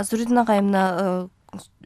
Зуридин агай, мына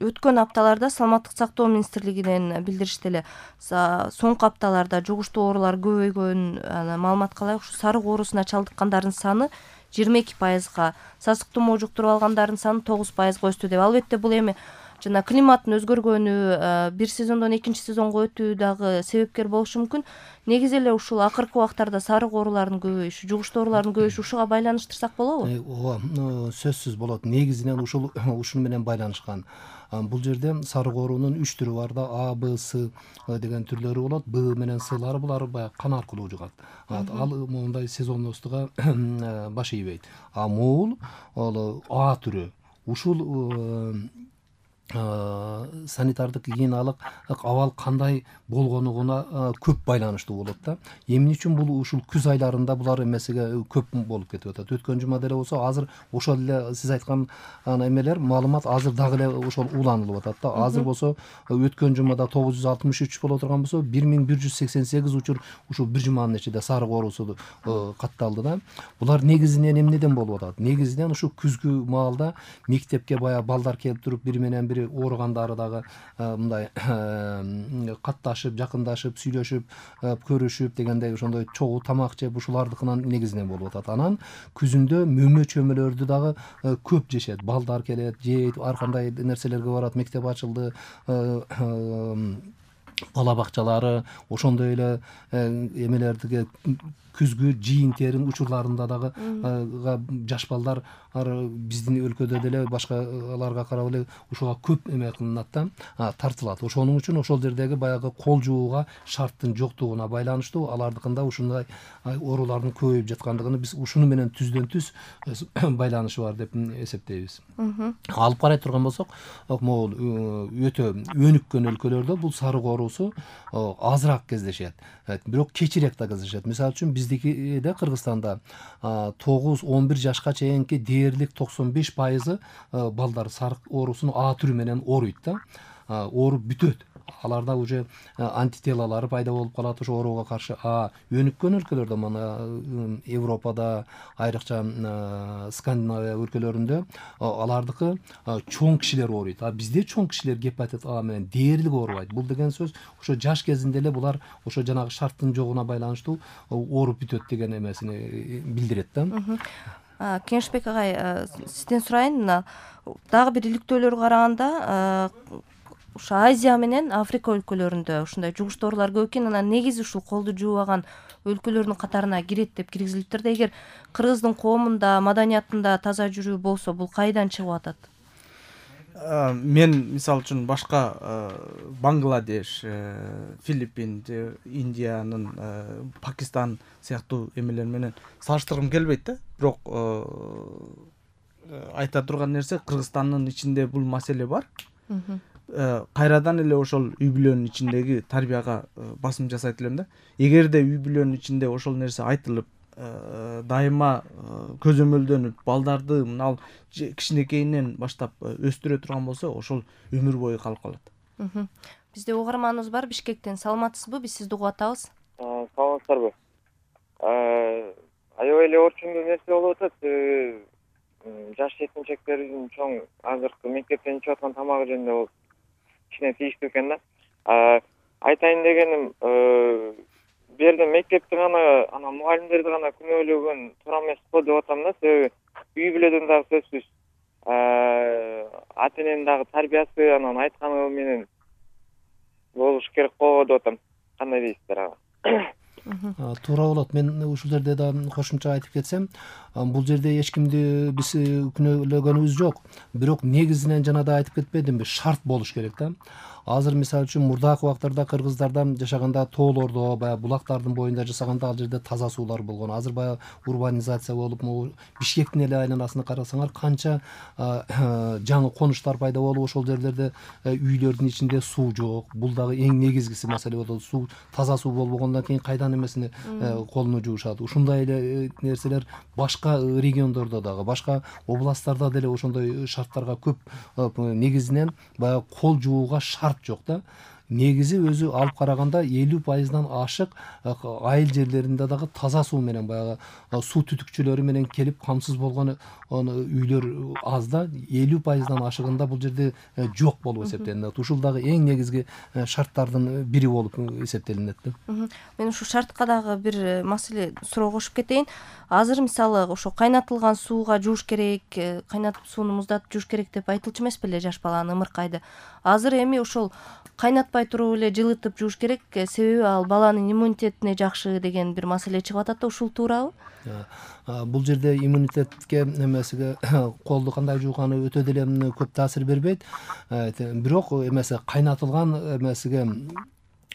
өткөн апталарда Саламаттык сактоо министрлигинен билдиришти эле. Соңку апталарда жугуштуу оорулар көбөйгөн, маалыматка ылайык ушу сарык оорусуна чалдыккандардын саны 22%, сасык тумоо жуктуруп алгандардын саны 9%-га өстү деп. Албетте бул эми жана климаттын өзгөргөнү, бир сезондон экинчи сезонго өтүү дагы себепкер болушу мүмкүн. Негизи эле ушул акыркы убактарда сарык ооруларынын көбөйүшү, жугуштуу оорулардын көбөйүшү ушуга байланыштырсак болобу? Ооба, сөзсүз болот. Негизинен ушуну менен байланышкан. Бул жерде сарык оорунун 3 түрү бар да, А, Б, С деген түрлөрү болот. Б менен С'лары булар баягы кан аркылуу жугат. Ал мондай сезонностуга баш ийбейт. Могул ал А түрү. Ушул санитардык гигиеналык абал кандай болгонуна көп байланыштуу болот да. Эмне үчүн бул ушул күз айларында булар эмесиге көп болуп кетип атат. Өткөн жума деле болсо, азыр ошол эле сиз айткан эмелер, маалымат азыр дагы эле ошол уланылып атат да. Азыр болсо өткөн жумада 963 боло турган болсо, 1188 учур ушул бир жуманын ичинде сарык оорусу катталды да. Булар негизинен эмнеден болуп атат? Негизинен ушу күзгү маалда мектепке баягы балдар келип туруп бири менен бири ооругандары дагы мындай катташып, жакындашып, сүйлөшүп, көрүшүп дегендей ошондой чогуу тамак жеп ушулардыкынан негизинен болуп атат. Анан күзүндө мөмө чөмөлөрдү дагы көп жешет. Балдар келет, жейт, ар кандай нерселерге барат, мектеп ачылды, бала бакчалары, ошондой эле эмелердиги күзгү жыйын-терин учурларында дагы жаш балдар биздин өлкөдө деле башкаларга карап эле ушуга көп эме кылынат да, тартылат. Ошонун үчүн ошол жердеги баягы кол жууга шарттын жоктугуна байланыштуу алардыкында ушундай оорулардын көбөйүп жаткандыгын биз ушуну менен түздөн түз байланышы бар деп эсептейбиз. Алып карай турган болсок, могул өтө өнүккөн өлкөлөрдө бул сарык оорусу азыраак кездешет, бирок кечирээк да кездешет. Мисалы үчүн биздикиде Кыргызстанда 9-11 жашка чейинки дээрлик 95% балдар сарык оорусун А түрү менен ооруйт да. Ооруп бүтөт. Аларда уже антителалары пайда болуп калат ошо ооруга каршы. Өнүккөн өлкөлөрдө, мына Европада, айрыкча Скандинавия өлкөлөрүндө алардыкы чоң кишилер ооруйт. Бизде чоң кишилер гепатит А менен дээрлик оорубайт. Бул деген сөз ошо жаш кезинде эле булар ошо жанагы шарттын жогуна байланыштуу ооруп бүтөт деген эмесини билдирет да. Кеңешбек агай, сизден сурайын, мына дагы бир иликтөөлөргө караганда ушу Азия менен Африка өлкөлөрүндө ушундай жугуштуу оорулар көп экен. Анан негизи ушул колду жуубаган өлкөлөрдүн катарына кирет деп киргизилиптир да. Эгер кыргыздын коомунда, маданиятында таза жүрүү болсо, бул кайдан чыгып атат? Мен мисалы үчүн башка Бангладеш, Филиппин, Индиянын, Пакистан сыяктуу эмелер менен салыштыргым келбейт да. Бирок айта турган нерсе, Кыргызстандын ичинде бул маселе бар. Кайрадан эле ошол үй бүлөнүн ичиндеги тарбияга басым жасайт элем да. Эгерде үй бүлөнүн ичинде ошол нерсе айтылып, дайыма көзөмөлдөнүп, балдарды мына кичинекейинен баштап өстүрө турган болсо, ошол өмүр бою калып калат. Бизде угарманыбыз бар Бишкектен. Саламатсызбы? Биз сизди угуп атабыз. Саламатсыздарбы? Аябай эле орчундуу нерсе болуп атат. Жаш жетинчектердин чоң азыркы мектептен ичип аткан тамагы жөнүндө болуп кичине тийиштүү экен да. Айтайын дегеним, бу жерде мектепти гана, анан мугалимдерди гана күнөөлөгөн туура эмес го деп атам да. Себеби үй бүлөдөн дагы сөзсүз ата эненин дагы тарбиясы, анан айтканы менен болуш керек го деп атам. Кандай дейсиздер ага? Туура болот. Мен ушул жерде да кошумча айтып кетсем, бул жерде эч кимди биз күнөөлөгөнүбүз жок. Бирок негизинен жана да айтып кетпедимби, шарт болуш керек да. Азыр мисалы үчүн мурдакы убактарда кыргыздардан жашаганда тоолордо, баягы булактардын боюнда жашаганда ал жерде таза суулар болгон. Азыр баягы урбанизация болуп, Бишкектин эле айланасына карасаңар, канча жаңы конуштар пайда болуп, ошол жерлерде үйлөрдүн ичинде суу жок. Бул дагы эң негизгиси маселе болот. Суу, таза суу болбогондон кийин кайдан эмесини колуну жуушат. Ушундай эле нерселер башка региондордо дагы, башка областтарда деле ошондой шарттарга көп негизинен баягы кол жууга шарт жок да. негизи өзү алып караганда 50%-дан ашык айыл жерлеринде дагы таза суу менен баягы суу түтүкчүлөрү менен келип камсыз болгон үйлөр аз да, 50%-дан ашыгында бул жерде жок болуп эсептелинет. Ушул дагы эң негизги шарттардын бири болуп эсептелинет да. Мен ушу шартка дагы бир маселе суроо кошуп кетейин. Азыр мисалы ошо кайнатылган сууга жууш керек, кайнатып сууну муздатып жууш керек деп айтылчу эмес беле жаш баланы ымыркайды. Азыр эми ошол кайнатпай туруп эле жылытып жууш керек, себеби ал баланын иммунитетине жакшы деген бир маселе чыгып атат да, ушул туурабы? Бул жерде иммунитетке эмесиге колду кандай жууганы өтө деле көп таасир бербейт. Бирок эмеси кайнатылган эмесиге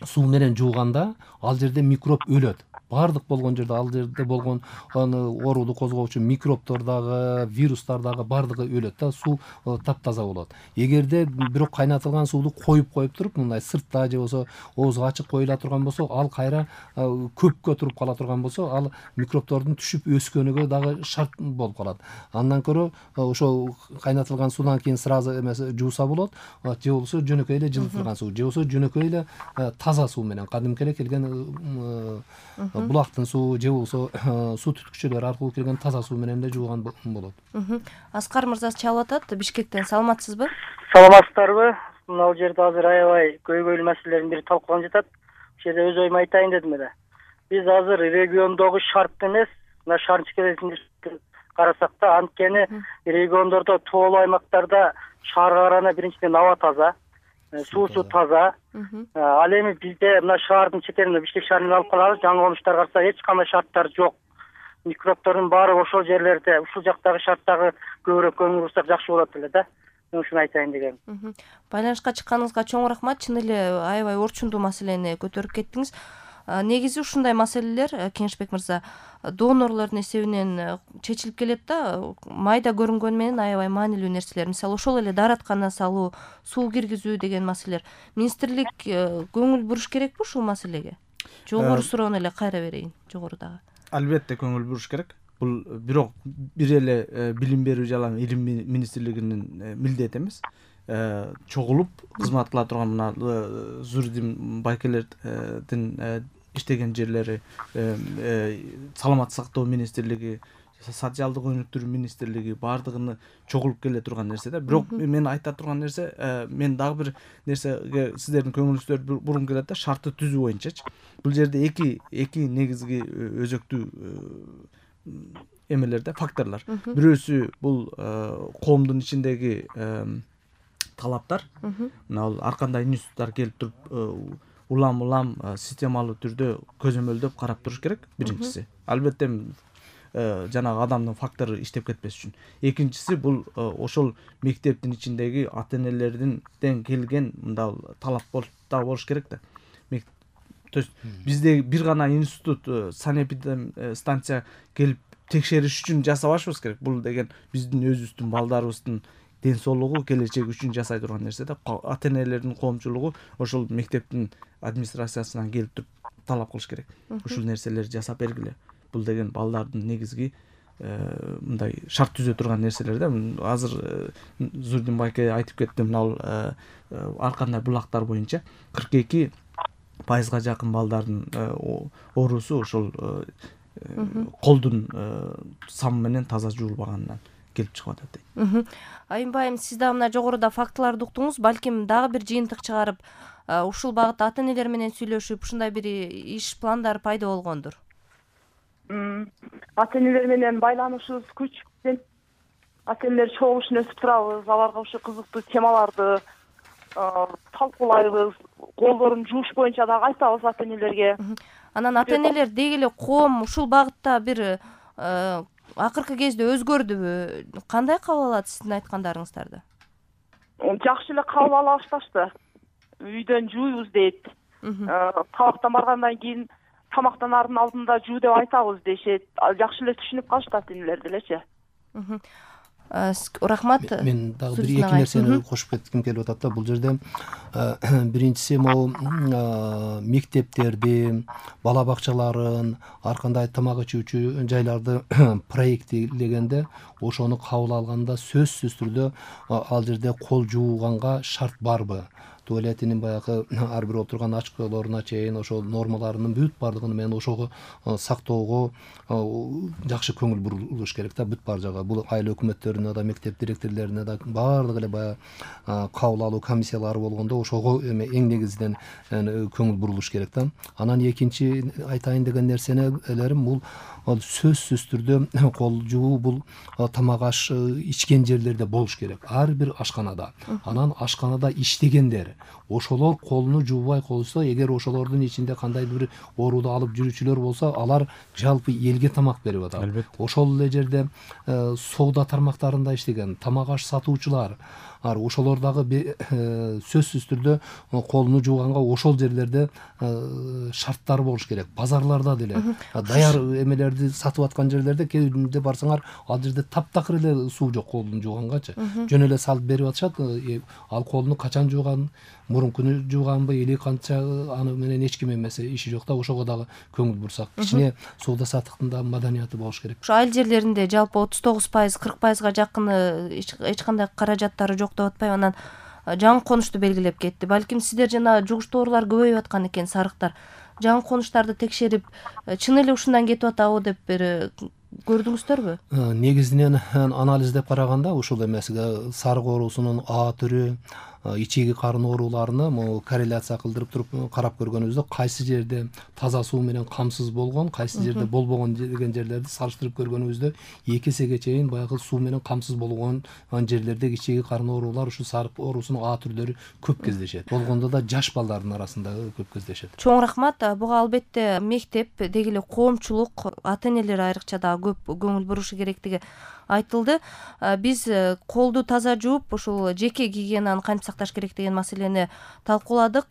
суу менен жууганда ал жерде микроб өлөт. Бардык болгон жерде ал жерде болгон ооруду козгоочу микробдор дагы, вирустар дагы бардыгы өлөт да, суу таптаза болот. Эгерде бирок кайнатылган сууну коюп туруп, мындай сыртта же болсо оозу ачык коюла турган болсо, ал кайра көпкө туруп кала турган болсо, ал микробдордун түшүп өскөнүгө дагы шарт болуп калат. Андан көрө ошол кайнатылган суудан кийин сразу эмес жууса болот, же болсо жөнөкөй эле жылытылган суу, же болсо жөнөкөй эле таза суу менен, кадимки эле келген булактын суу же болсо суу түтүкчүлөр аркылуу келген таза суу менен да жууган болот. Аскар мырза чалып атат, Бишкектен. Саламатсызбы? Саламатсыздарбы? Мына жерде азыр аябай көйгөйлүү маселелердин бири талкууланып жатат. Ошол жерде өз оюмду айтайын дедим эле. Биз азыр региондогу шарт эмес, мына шаар чекересинде карасак да, анткени региондордо тоолуу аймактарда шаарга караганда биринчиден аба таза, суусу таза. Ал эми бизде мына шаардын чекеринде, Бишкек шаарынан алып караганда жаңы конуштар караса эч кандай шарттар жок. Микробдордун баары ошол жерлерде, ушул жактагы шарттагы көбүрөөк көңүл бурсак жакшы болот эле да. Мен ушуну айтайын дегем. Байланышка чыкканыңызга чоң рахмат. Чын эле аябай орчундуу маселени көтөрүп кеттиңиз. Негизи ушундай маселелер, Кеңешбек мырза, донорлордун эсебинен чечилип келет да, майда көрүнгөнү менен аябай маанилүү нерселер. Мисалы ошол эле даараткана салуу, суу киргизүү деген маселелер. Министрлик көңүл буруш керекпи ушул маселеге? Жогору суроону эле кайра берейин, жогорудагы. Албетте көңүл буруш керек. Бул бирок бир эле билим берүү жана илим министрлигинин милдети эмес. Чогулуп кызмат кыла турган мына Зурдин байкелердин иштеген жерлери, саламаттык сактоо министрлиги, социалдык өнүктүрүү министрлиги баардыгыны чогулуп келе турган нерсе да. Бирок мен айта турган нерсе, мен дагы бир нерсеге сиздердин көңүлүңүздөр бурун келет да, шартты түзүү боюнчачы. Бул жерде эки негизги өзөктүү эмелер да, факторлор. Бирөөсү бул коомдун ичиндеги талаптар. Мына ар кандай институттар келип туруп улам системалуу түрдө көзөмөлдөп карап туруш керек, биринчиси. Албетте жанагы адамдын фактору иштеп кетпеш үчүн. Экинчиси бул ошол мектептин ичиндеги ата энелерден келген мындай талап болуш керек да. То есть бизде бир гана институт, санэпидстанция келип текшериш үчүн жасабашыбыз керек. Бул деген биздин өзүбүздүн балдарыбыздын ден соолугу, келечеги үчүн жасай турган нерсе да. Ата энелердин коомчулугу ошол мектептин администрациясынан келип туруп талап кылыш керек. Ушул нерселерди жасап бергиле. Бул деген балдардын негизги мындай шарт түзө турган нерселер да. Азыр Зурдин байке айтып кетти, мына ар кандай булактар боюнча 42% жакын балдардын оорусу ошол колдун самы менен таза жуулбаганынан келип чыгып атат дейт. Айымбайым, сиз да мына жогоруда фактыларды уктуңуз, балким дагы бир жыйынтык чыгарып, ушул багытта ата энелер менен сүйлөшүп, ушундай бир иш пландар пайда болгондур. Ата энелер менен байланышыбыз күчү. Ата энелер чогулушун өтүп турабыз, аларга ушул кызыктуу темаларды талкуулайбыз, колдорун жууш боюнча дагы айтабыз ата энелерге. Анан ата энелер деги эле коом ушул багытта бир акыркы кезде өзгөрдүбү? Кандай кабыл алат сиздин айткандарыңыздарды? Жакшы эле кабыл ала башташты. Үйдөн жууйбуз дейт. Табактан баргандан кийин тамактанаардын алдында жуу деп айтабыз дешет. Жакшы эле түшүнүп калышты ата энелер делечи. Рахмат. Мен дагы бир эки нерсени кошуп кетким келип атат да. Бул жерде биринчиси могу мектептерди, бала бакчаларын, ар кандай тамак ичүүчү жайларды проекттегенде ошону кабыл алганда сөзсүз түрдө ал жерде кол жууганга шарт барбы? туалетинин баягы ар бир отурган очколоруна чейин ошол нормаларынын бүт баардыгын менен ошого сактоого жакшы көңүл бурулуш керек да бүт бар жагы. Бул айыл өкмөттөрүнө да, мектеп директорлоруна да баардыгы эле баягы кабыл алуу комиссиялары болгондо ошого эме эң негизинен көңүл бурулуш керек да. Анан экинчи айтайын деген нерселерим бул сөзсүз түрдө кол жуу бул тамак аш ичкен жерлерде болуш керек. Ар бир ашканада. Анан ашканада иштегендер ошолор колуну жуубай койсо, эгер ошолордун ичинде кандайдыр бир ооруду алып жүрүүчүлөр болсо, алар жалпы элге тамак берип атат. Ошол эле жерде соода тармактарында иштеген тамак аш сатуучулар ошолор дагы сөзсүз түрдө колуну жууганга ошол жерлерде шарттар болуш керек. Базарларда деле даяр эмелерди сатып аткан жерлерде кээде барсаңар, ал жерде таптакыр эле суу жок колуну жуугангачы. Жөн эле салып берип атышат. Ал колуну качан жууган, мурункуну жууганбы или канча, аны менен эч ким эмеси иши жок да. Ошого дагы көңүл бурсак, кичине соода саттыктын да маданияты болуш керек. Ошо айыл жерлеринде жалпы 39%, 40%га жакыны эч кандай каражаттары жок деп атпайбы? Анан жаңы конушту белгилеп кетти. Балким сиздер жана жугуштуу оорулар көбөйүп аткан экен, сарыктар. Жаңы конуштарды текшерип, чын эле ушундан кетип атабы деп бир көрдүңүздөрбү? Негизинен анализдеп караганда ушул эмесиге сарык оорусунун А түрү, ичеги карын ооруларыны корреляция кылдырып туруп карап көргөнүбүздө кайсы жерде таза суу менен камсыз болгон, кайсы жерде болбогон деген жерлерди салыштырып көргөнүбүздө 2 эсеге чейин баягы суу менен камсыз болгон жерлерде ичеги карын оорулар, ушу сарык оорусунун А түрлөрү көп кездешет. Болгондо да жаш балдардын арасында көп кездешет. Чоң рахмат. Буга албетте мектеп, деги эле коомчулук, ата-энелер айрыкча да көп көңүл бурушу керектиги айтылды. Биз колду таза жууп, ушул жеке гигиенаны кантип сакташ керек деген маселени талкууладык.